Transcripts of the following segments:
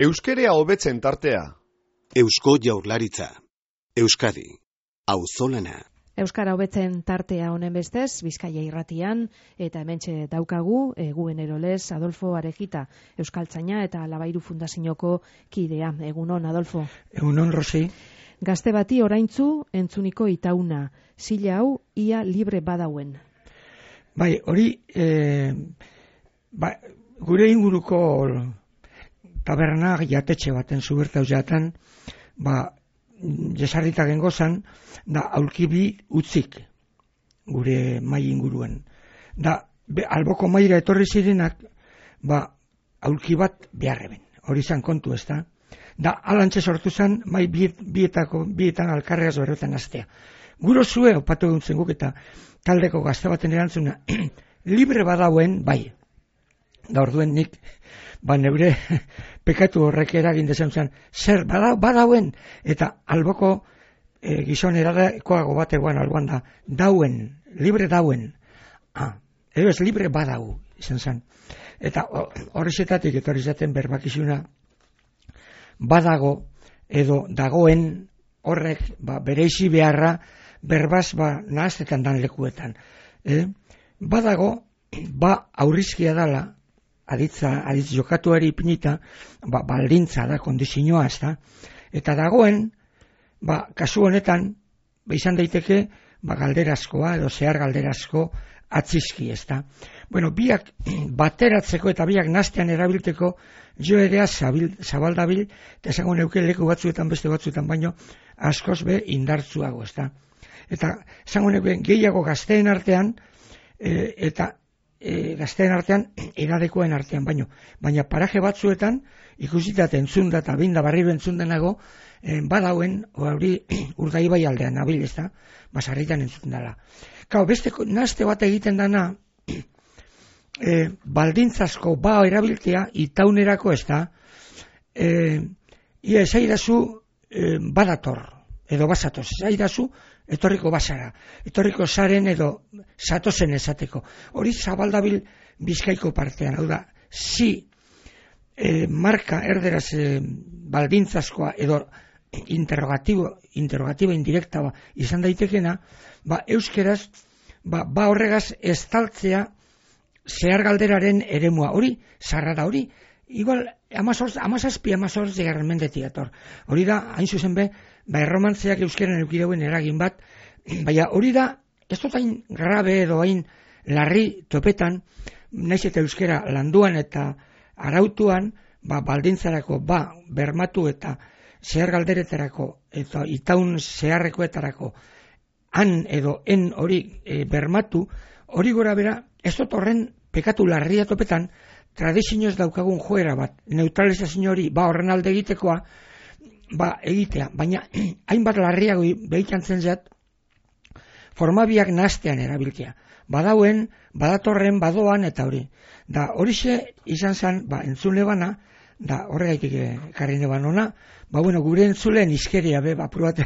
Euskerea hobetzen tartea. Eusko Jaurlaritza. Euskadi. Auzolana. Euskara hobetzen tartea honen bestez, Bizkaia irratian, eta hementxe daukagu, eguen erolez, Adolfo Arejita, Euskaltzaina eta Labairu Fundazioko kidea. Egunon, Adolfo. Egunon, Rosi. Gazte bati oraintzu entzuniko itauna, zila hau ia libre badauen. Bai, hori, gure inguruko taberna jatetxe baten zubertau jatan, jesarrita gengozan, da aulkibi utzik gure mai inguruen. Da, alboko maira etorri zirenak, aulki bat beharreben. Hori zan kontu ez da. Da, alantxe sortu zen, mai bietan alkarregaz berretan astea. Guro zue, opatu eguntzen guk eta taldeko gazte baten erantzuna, libre badauen, bai. Da orduen nik, neure pekatu horrek eragin dezen zen, zer badauen, eta alboko gizon erakoago bat eguan alboan da, dauen, libre dauen. Edo ez libre badau, izan zen. Eta horrezetatik etorri zaten berbakizuna, badago edo dagoen horrek bereizi beharra berbaz nahaztetan dan lekuetan. Badago, aurrizkia dala, aditz jokatuari ipinita, baldintza da, kondizioa ez da. Eta dagoen, kasu honetan, izan daiteke, galderazkoa edo zehar galderazko atzizki ez da. Bueno, biak bateratzeko eta biak nastean erabilteko jo ere zabaldabil, eta esango neuke leku batzuetan beste batzuetan baino askoz be indartzuago ez da. Eta esango neuke gehiago gazteen artean eta gazteen artean eradekoen artean baina paraje batzuetan ikusitat entzunda eta binda barriro entzundenago badauen hori Urdaibai aldean nabil ez da, basarritan entzundala. Kau, beste naste bat egiten dana baldintzasko erabiltea itaunerako ez da, ia esaidazu badator edo basatoz, esaidazu etorriko basara, etorriko zaren edo zatozen esateko. Hori zabaldabil Bizkaiko partean, hau da, marka erderaz baldintzaskoa edo interrogatiba indirekta izan daitekena, euskeraz, horregaz estaltzea zehar galderaren eremua. Hori, zarra da hori, igual, 17 garren mendetik ator. Hori da, hain zuzen be, erromantzeak euskeren eukideuen eragin bat, baina hori da, ez dut hain grabe edo hain larri topetan, naiz eta euskera landuan eta arautuan, baldintzarako, bermatu eta zehar galderetarako eta itaun zeharrekoetarako han edo en hori bermatu, hori gora bera, ez dut horren pekatu larria topetan, tradizioz daukagun joera bat, neutralizazio hori, horren alde egitekoa, egitea, baina hainbat larriago behitantzen zat, formabiak nastean erabiltzea. Badauen, badatorren, badoan, eta hori. Da horixe izan zen, entzule bana, da horregaitik karri neban ona, gure entzuleen izkeria, apruat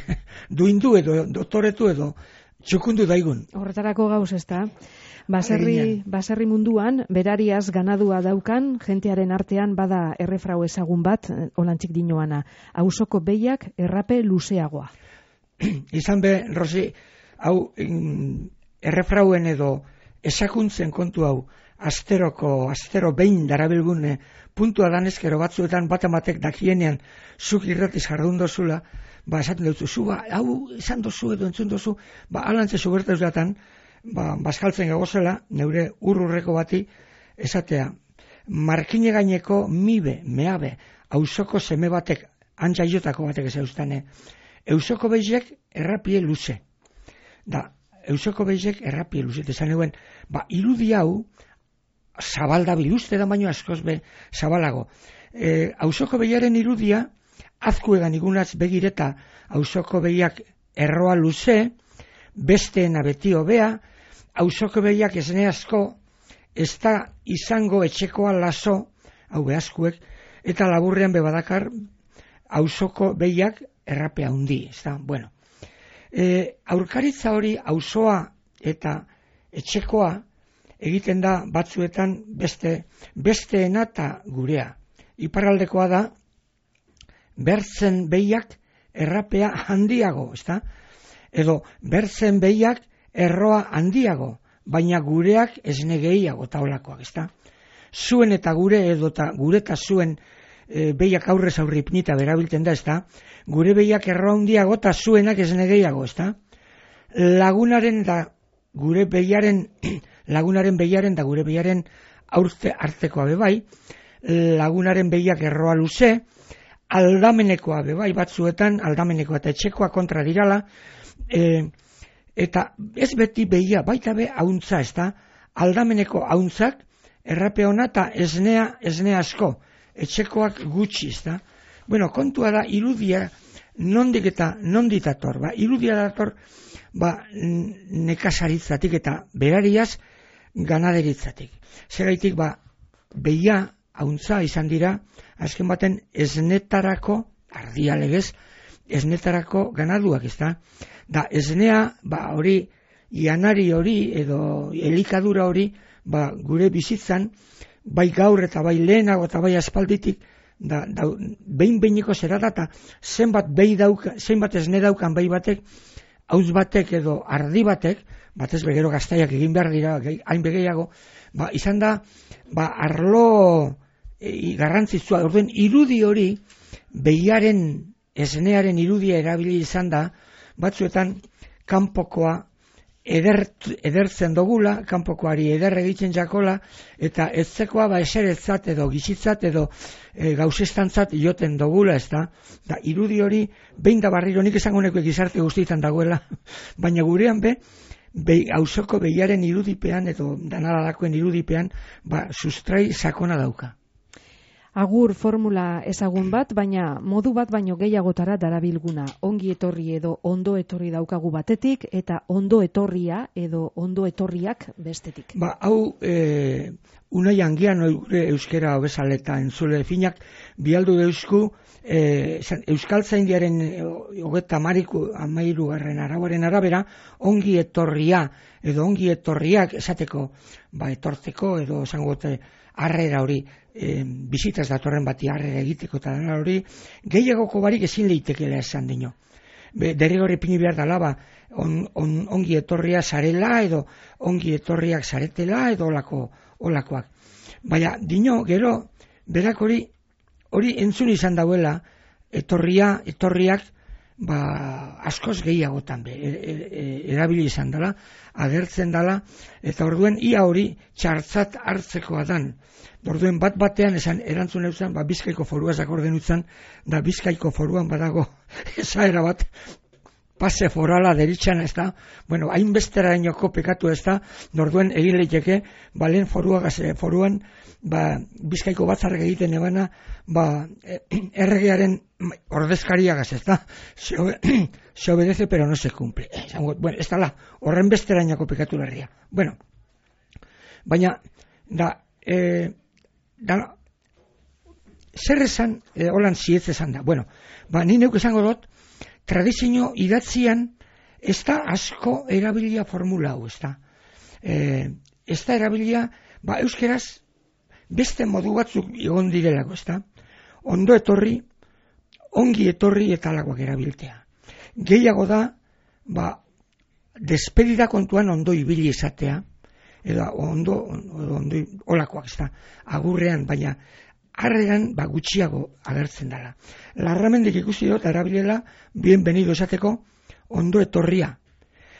duindu edo dotoretu edo txukundu daigun. Horretarako gauz ez da. Baserri munduan, berariaz ganadua daukan, jentearen artean bada errefrau ezagun bat, olantzik dinoana, auzoko behiak errape luzeagoa. Izan be, Rosi, hau errefrauen edo esakuntzen kontu hau, astero behin darabilgune puntua danezkero batzuetan batamatek dakienean zuk irratiz jardun dozula, esaten dutzu, hau esan dozu edo entzun dozu, alantze zubertaz datan, bazkaltzen gagozela, neure urrurreko bati, esatea, markine gaineko meabe, auzoko seme batek, antxaiotako batek ez eustane, eusoko beizek errapie luze. Da, eusoko beizek errapie luze. Esan eguen, irudi hau, zabaldabil uste da baino askoz be zabalago. Auzoko behiaren irudia, azkuegan igunaz begireta, auzoko behiak erroa luze, besteena beti hobea, auzoko behiak esne asko, ez da izango etxekoa laso, hau behazkuek, eta laburrean bebadakar, auzoko behiak errapea hundi, ez da, bueno. Aurkaritza hori auzoa eta etxekoa egiten da batzuetan besteena eta gurea. Iparraldekoa da bertzen behiak errapea handiago, ezta? Edo bertzen behiak erroa handiago, baina gureak esne gehiago eta olakoak, ezta? Zuen eta gure edo gure eta zuen behiak aurrez aurri ipnita berabilten da, ezta? Gure behiak erroa handiago eta zuenak esne gehiago, ezta? Lagunaren da gure behiaren lagunaren behiaren da gure behiaren artekoa bebai, lagunaren behiak erroa luze, aldamenekoa bebai, batzuetan aldamenekoa eta etxekoa kontra dirala, eta ez beti behia, baita be hauntza, ezta? Aldameneko hauntzak errape ona eta esnea asko, etxekoak gutxi, ezta? Bueno, kontua da irudia nondik eta nondik dator, irudia dator nekazaritzatik eta berariaz ganaderitzatik. Zeraitik behia hauntza izan dira, azken baten esnetarako, ardia legez, esnetarako ganaduak, ezta? Da esnea, hori, janari hori edo elikadura hori, gure bizitzan, bai gaur eta bai lehenago eta bai aspalditik, behin-behiniko zera da, eta zenbat esne daukan bai batek, hauz batek edo ardi batek, batez begero gaztaiak egin behar dira, hain begeiago, izan da, arlo garrantzitsua, orduen irudi hori, behiaren esnearen irudia erabili izan da, batzuetan kanpokoa edertzen dogula, kanpokoari eder egiten jakola, eta etzekoa eseretzat edo gizitzat edo gauzestantzat joten dogula, ez da? Da, irudi hori, behin da barriro, nik esango neko gizarte guztietan dagoela, baina gurean hausoko behiaren irudipean edo danaralakoen irudipean, sustrai sakona dauka. Agur formula ezagun bat, baina modu bat baino gehiagotara darabilguna. Ongi etorri edo ondo etorri daukagu batetik, eta ondo etorria edo ondo etorriak bestetik. Hau, unai angian gure euskera obezaleta entzule finak, bialdu deusku, Euskaltzaindiaren 33. arauaren arabera, ongi etorria edo ongi etorriak esateko, etortzeko edo esangote harrera hori, bizitaz datorren bati harrera egiteko eta dena hori, gehiagoko barik ezin leitekela esan dino. Derrigor ipini behar dala, ongi etorria zarela edo ongi etorriak zaretela edo olakoak. Baina dino, gero, berak hori entzun izan dauela, etorriak, askoz gehiagotan erabili izan dela, agertzen dela, eta orduen ia hori txartzat hartzekoa dan. Orduen batean erantzun eutzen, Bizkaiko foruaz akorden utzen, da Bizkaiko foruan badago esaera bat, pase forala deritxan, ez da, hainbestera inoko pekatu, ez da, orduen egin leiteke, lehen foruan, Bizkaiko batzarrek egiten ebana, erregearen ordezkariagaz, ez da, se obedece pero no se cumple. Ez da, horren bestera inoko pekatu larria. Baina, zer esan, holan zietz esan da. Ni neuk esango dut, tradizio idatzian ez da asko erabilia formula hau, ez da. Ez da erabilia, euskeraz, beste modu batzuk egon direlako, ez da. Ondo etorri, ongi etorri eta alakoak erabiltea. Gehiago da, despedida kontuan ondo ibili izatea, edo ondo olakoak, ez da, agurrean, baina harreran gutxiago agertzen dela. Larramendik ikusi dut, erabilela, bienvenido esateko, ondo etorria.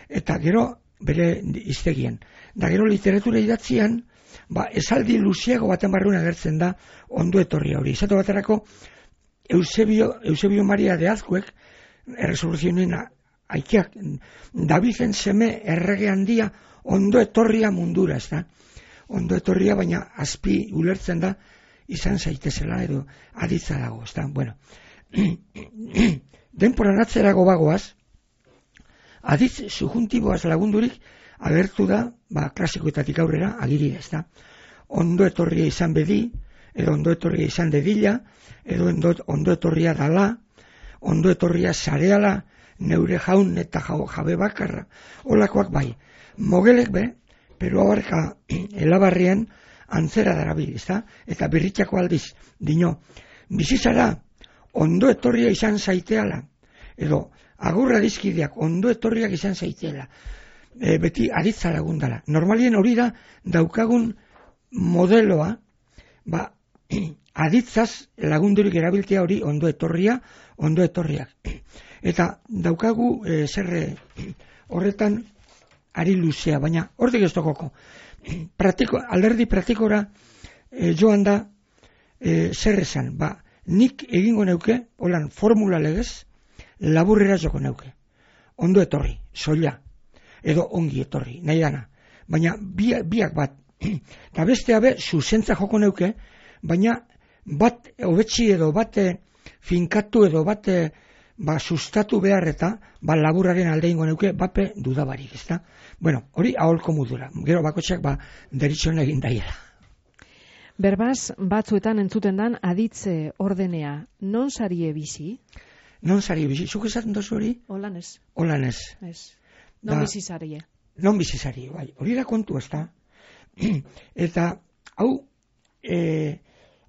Eta gero, bere iztegien. Da gero literatura idatzian, esaldi luziago baten barruen agertzen da, ondo etorria hori. Izatu baterako, Eusebio Maria de Azkuek, erresoluzioen aikiak, Davizen seme errege handia, ondo etorria mundura, ez da. Ondo etorria, baina azpi ulertzen da, izan zaitezela edo aditza dago, ez da. Denporan atzerago bagoaz, aditz subjuntiboaz lagundurik agertu da, klasikoetatik aurrera, agiri, ez da. Ondo etorria izan bedi, edo ondo etorria izan dedila, edo ondo etorria dala, ondo etorria zareala, neure jaun eta jabe bakarra, olakoak bai. Mogelek pero abarka elabarrien antzera darabil, ezta? Eta birritxako aldiz, dino, bizizara ondo etorria izan zaiteala, edo agurra dizkideak ondo etorriak izan zaiteala, beti aditza lagundala. Normalien hori da daukagun modeloa, aditzaz lagundurik erabiltzea hori ondo etorriak. Eta daukagu horretan ari luzea, baina hortik ez tokoko. Alderdi praktikora joan da zer esan, nik egingo neuke, holan formula legez, laburrera joko neuke. Ondo etorri, soila, edo ongi etorri, nahi dana. Baina biak bat, eta bestea be, zuzentza joko neuke, baina bat hobetsi edo bat finkatu edo bat sustatu behar eta laburraren alde ingo neuke bape dudabarik, ezta? Bueno, hori aholko modura. Gero bakotxak deritxon egin daiela. Berbaz, batzuetan entzuten dan aditze ordenea, non sarie bizi? Non sarie bizi? Zuk esaten dozu hori? Holan ez. Holan ez. Non bizi sarie? Non bizi sarie, bai. Hori da kontu, ezta? Eta, hau,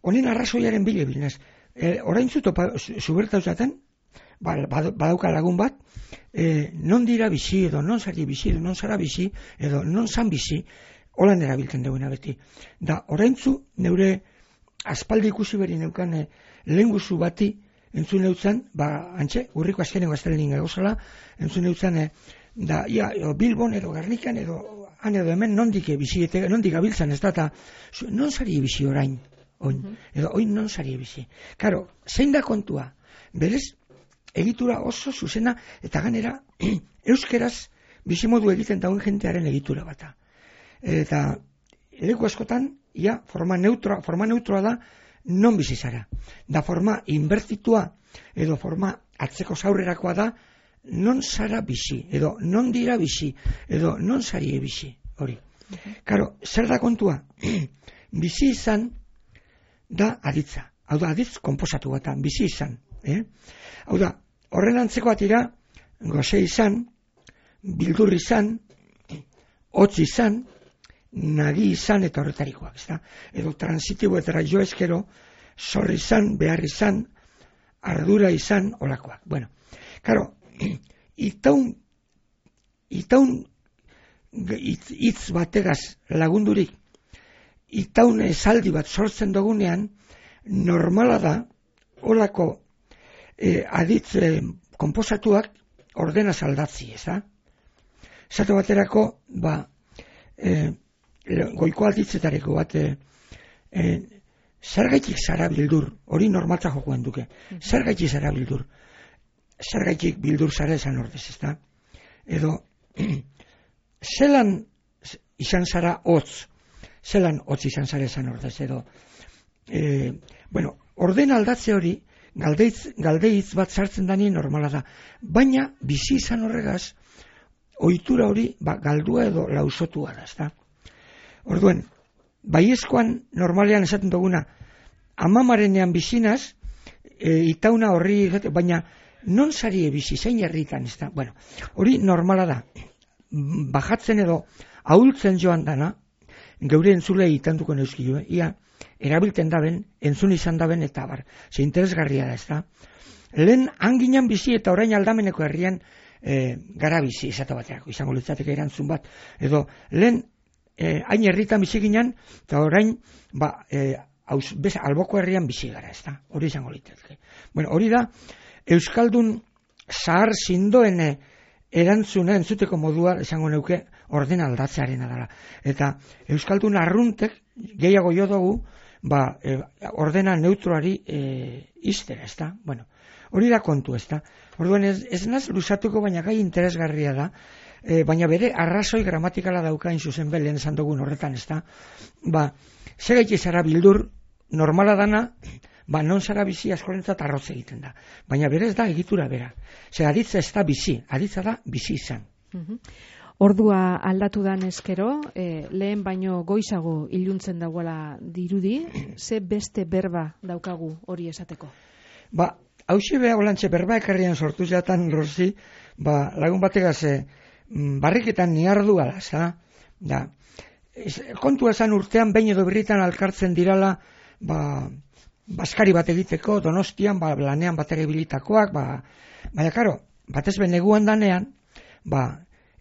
honen arrazoiaren bilebilnez. Orain zuberta usaten, badauka lagun bat, non dira bizi, edo non sari bizi, edo non zara bizi, edo non zan bizi, holan erabiltzen duena beti. Da, oraintzu neure aspaldi ikusi beri neukan lehen guzu bati entzun neutzen, antxe, urriko azkeneko aztelenin gauzala, entzun neutzen, Bilbon edo Gernikan edo han edo hemen nondik abiltzen ez da, eta non zari bizi orain, edo oin non zari bizi. Karo, zein da kontua? Berez, egitura oso zuzena, eta ganera, euskeraz bizimodu egiten dauen jentearen egitura bata. Eta leku askotan, forma neutroa da, non bizi zara. Da forma inbertitua, edo forma atzeko zaurrerakoa da, non zara bizi, edo non dira bizi, edo non zarie bizi, hori. Karo, zer da kontua? Bizi izan da aditza. Hau da, aditz konposatu bat, bizi izan. Hau da, horren antzeko atira, goze izan, bildur izan, hotz izan, nagi izan eta horretarikoak, ezta? Edo transitibo eta jo eskero, zor izan, behar izan, ardura izan, olakoak. Bueno, karo, itaun hitz bategaz lagundurik, itaun esaldi bat sortzen dugunean, normala da, olako aditz konposatuak ordenaz aldatzi, ezta? Zato baterako, goiko alditzetareko bat, zergaitik zara bildur, hori normaltza jokoen duke, zergaitik zara bildur, zergaitik bildur zara esan ordez, ezta? Edo, zelan izan zara hotz, zelan hotz izan zara esan ordez, edo, orden aldatze hori, galdeitz bat sartzen dani normala da, baina bizi izan horregaz, ohitura hori galdua edo lausotua da, ezta? Orduen, baiezkoan normalean esaten duguna, amamarenean bizinaz, itauna horri, baina non zarie bizi, zein herritan, ezta? Bueno, hori normala da, bajatzen edo ahultzen joan dana, geure entzulei itanduko neuzkio, ia erabilten daben, entzun izan daben, eta ze interesgarria da, ezta? Lehen anginan bizi eta orain aldameneko herrian gara bizi, esate baterako, izango litzateke erantzun bat, edo lehen hain herritan bizi ginen, eta orain alboko herrian bizi gara, ezta? Hori izango litzateke. Bueno, hori da, Euskaldun zahar zindoen erantzuna entzuteko modua esango neuke orden aldatzearena dela. Eta Euskaldun arruntek gehiago jo dugu ordena neutroari iztera, ezta? Bueno, hori da kontu, ezta? Orduan ez naz luzatuko, baina gai interesgarria da, baina bere arrazoi gramatikala daukain zuzen belen esan dugun horretan, ezta? Segaitik zara bildur normala dana, non zara bizi askorentzat arroz egiten da. Baina berez da egitura bera. Ze aditza ez da bizi, aditza da bizi izan. Ordua aldatu dan eskero, lehen baino goizago iluntzen dagoela dirudi, ze beste berba daukagu hori esateko? Hauxe beha olantxe berba ekarrian sortu jatan, Rosi, lagun bategaz barriketan niardu ala, kontua esan urtean behin edo birritan alkartzen dirala, baskari bat egiteko, Donostian, lanean bat ere bilitakoak, baina, karo, batez ben neguan danean,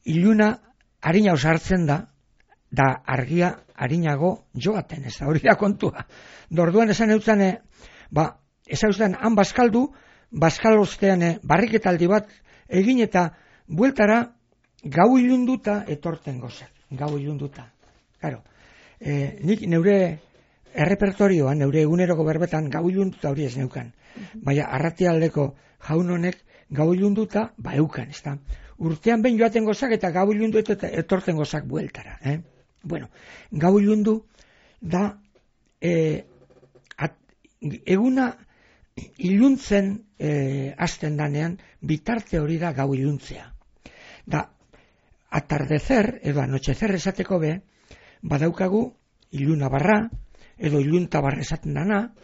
iluna harina osartzen da argia harinago joaten, ez da, hori da kontua. Dorduan esan eutzen, han baskaldu, baskalostean barriketaldi bat egin eta bueltara gau ilunduta etorten gozak, gau ilunduta. Claro, nik neure errepertorioan, neure eguneroko berbetan gau ilunduta hori ez neukan. Baina arratialdeko jaun honek gau ilunduta eukan, ez da. Urtean behin joaten gozak eta gau ilundu eta etorten gozak bueltara. Bueno, gau ilundu da eguna iluntzen hasten danean bitarte hori da gau iluntzea. Da, atardecer edo anochecer esateko be, badaukagu iluna barra, edo ilunta barra esaten dana,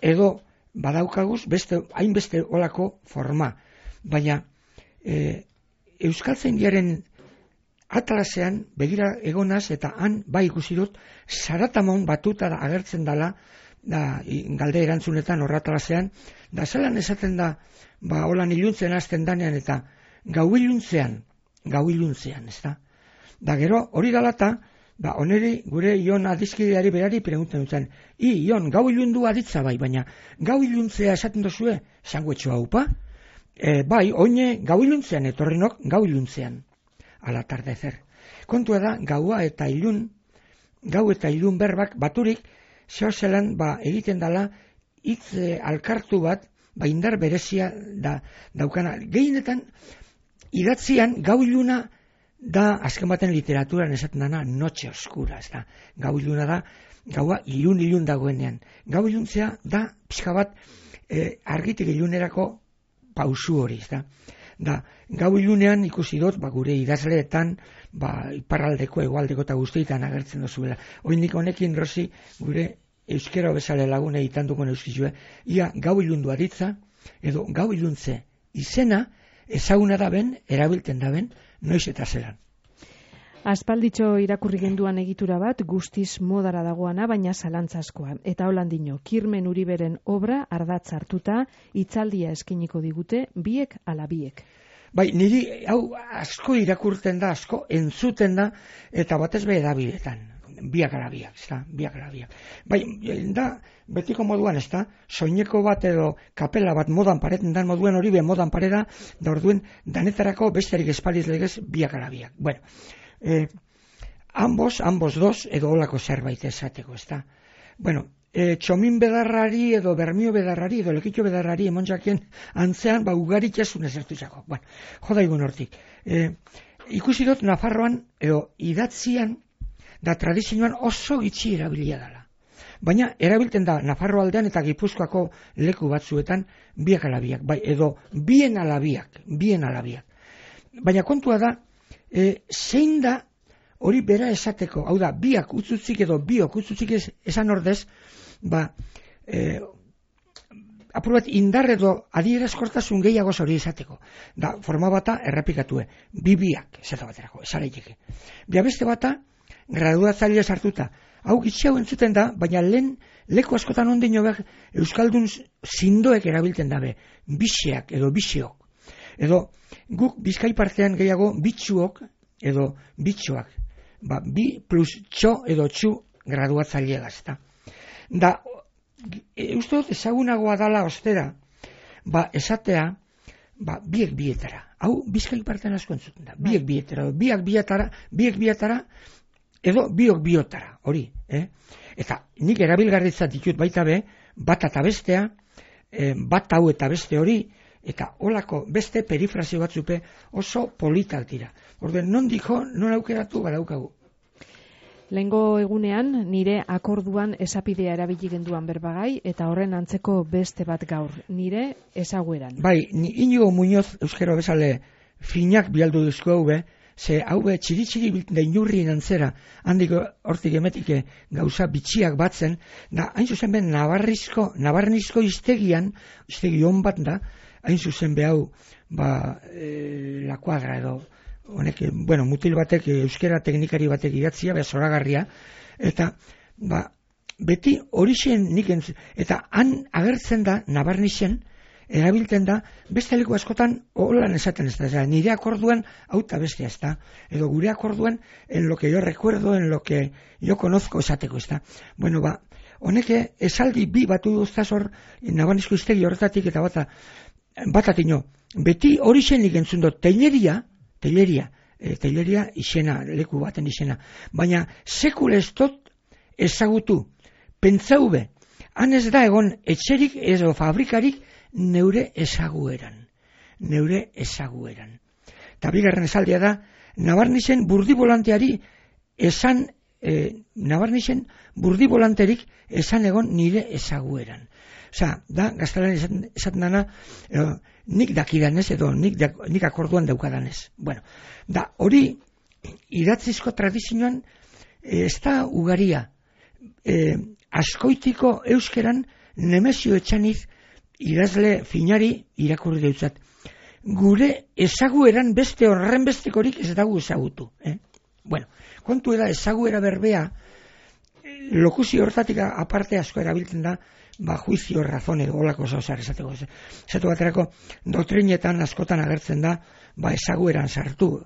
edo badaukaguz hainbeste olako forma. Baina, Euskaltzaindiaren atlasean begira egonaz eta han ikusi dut Zaratamon batuta agertzen dala, galde erantzunetan horratalasean, da zelan esaten da, holan iluntzen hasten danean eta gau iluntzean, ez da. Da gero, hori dalata, oneri gure Ion adizkideari berari pregunten dutzen, Ion, gau ilundu aditza baina gau iluntzea esaten dozue, sanguetxo haupa? Bai, oine gau iluntzean, etorrinok gau iluntzean, al atardecer. Kontua da, gau eta ilun berbak baturik, zehozelan egiten dala hitz alkartu bat, indar berezia daukana. Gehienetan, idatzian gau iluna da, azken baten literaturan esaten dana, noche oscura, ez da. Gau iluna da, gaua ilun dagoenean. Gau iluntzea da, pixka bat, argitik ilunerako pausu hori, ez da. Da, gau ilunean ikusi dut, gure idazleetan, iparraldeko, egualdeko eta guztietan agertzen dozuela. Oindik honekin, Rosi, gure euskera bezale lagune itanduko neuskizue, ia gau ilundu aditza, edo gau iluntze izena, ezaguna da ben, erabilten da ben, noiz eta zelan. Aspalditxo irakurri genduan egitura bat, guztiz modara dagoana, baina zalantzazkoa. Eta holandino, Kirmen Uriberen obra ardatz hartuta, hitzaldia eskiniko digute, biek ala biek. Bai, niri hau asko irakurten da, asko entzuten da, eta batez be edabidetan. Biak ala biak, ez da, biak ala biak. Bai, da, betiko moduan, ez da, soineko bat edo kapela bat modan pareten dan moduen hori be modan pareda, da orduen danetarako besterik espaliz legez biak ala biak. Bueno, ambos dos edo olako zerbait esateko, ez da. Bueno, txomin bedarrari edo bermio bedarrari edo lekitxo bedarrari emonjakien antzean ugaritxasun ezertuzako. Bueno, jodaigun hortik. Ikusi dut Nafarroan edo idatzian da tradizioan oso gitxi erabilia dela. Baina erabilten da Nafarro aldean eta Gipuzkoako leku batzuetan biak ala biak, bai, edo bien ala biak. Baina kontua da, zein da hori bera esateko, hau da, biak utzutzik edo biok utzutzik esan ordez, apurat indar edo adierazkortasun gehiago hori esateko. Da, forma bata errepikatue, biak, esate baterako, esareiteke. Bia beste bata, graduatzailea sartuta. Hau gitxau entzuten da, baina lehen leku askotan ondino behar Euskaldun zindoek erabilten dabe, biseak edo biseok. Edo guk Bizkai partean gehiago bitxuok edo bitxoak. Bi plus txo edo txu graduatzailea da. Da, uste dut ezagunagoa dala ostera, esatea, biek bietara. Hau Bizkai partean asko entzuten da. Biek bietara, biek bietara, edo biok biotara, hori. Eta nik erabilgarritzat ditut baita be, bat eta bestea, bat hau eta beste hori, eta holako beste perifrazio batzupe oso politak dira. Orden, non aukeratu badaukagu. Lehengo egunean, nire akorduan esapidea erabili genduan berbagai, eta horren antzeko beste bat gaur, nire ezagueran. Bai, Inigo Muñoz euskero bezale finak bialdu duzko haube, ze haube txiri-txiri da inurrien antzera, handik hortik emetike gauza bitxiak batzen, da hain zuzen ben nabarnizko iztegian, iztegi hon bat da, hain zuzen behau, la kuadra edo, honek, mutil batek, euskera teknikari batek idatzia, zoragarria, eta, beti horixen nik eta han agertzen da, nabarnixen, erabiltzen da, beste leku askotan holan esaten ez da, nire akorduan auta bestea ez da, edo gure akorduan en lo que yo recuerdo, en lo que yo conozco esateko ez da. Bueno, honek esaldi bi batu duztaz hor, nabanizko iztegi horretatik eta batatino, beti horixen nik entzun dut, telleria izena, leku baten izena, baina sekule ez dut ezagutu, pentsau be, han ez da egon etxerik edo fabrikarik neure ezagueran. Eta bigarren esaldia da, nabarnixen burdibolanteari esan, burdibolanterik esan egon nire ezagueran. Osea, da, gaztelan esaten dana, nik dakidanez edo nik akorduan daukadanez. Bueno, da, hori idatzizko tradizioan ez da ugaria. Askoitiko euskeran Nemezio Etxaniz idazle finari irakurri deutzat. Gure ezagueran beste horren bestekorik ez dago ezagutu. Bueno, kontu da ezaguera berbea, lokuzio hortatik aparte asko erabiltzen da, juizio, razone, olako zauzar esateko. Esatu baterako, doktrinetan askotan agertzen da, ezagueran sartu.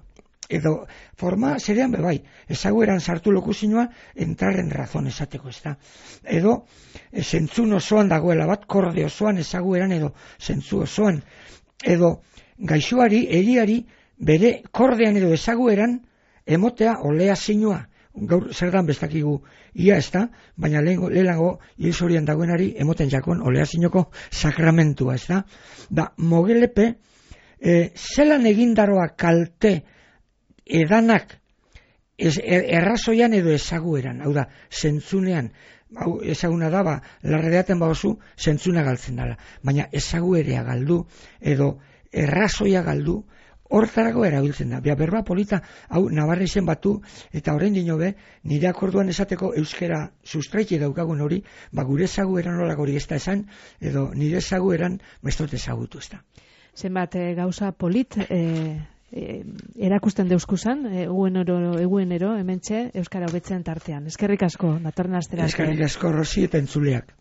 Edo, forma zerean bebai, ezagueran sartu lokuzioa, entrar en razón esateko, ez da. Edo, zentzun osoan dagoela bat, korde osoan ezagueran edo zentzu osoan. Edo, gaixoari, eriari, bere kordean edo ezagueran, emotea olea zinua. Gaur zer dan bestakigu ia ez da, baina lehenago hilzorian dagoenari emoten jakon olea zinoko sakramentua, ez da. Da, mogelepe, zelan egindaroa kalte edanak errazoian edo ezagueran, hau da, zentzunean, hau ezaguna da, larredeaten oso zentzuna galtzen dela, baina ezaguerea galdu edo errazoia galdu, hortarako erabiltzen da. Berba polita, hau nabarra izen batu, eta horrein dinobe, nire akorduan esateko euskera sustraiki daukagun hori, gure ezagueran nolak hori ez da esan, edo nire ezagueran mestot ezagutu ez da. Zenbat gauza polit, erakusten deuskuzan, eguenero, hementxe, euskara hobetzen tartean. Eskerrik asko, datorren astera. Eskerrik asko, Rosi eta entzuleak.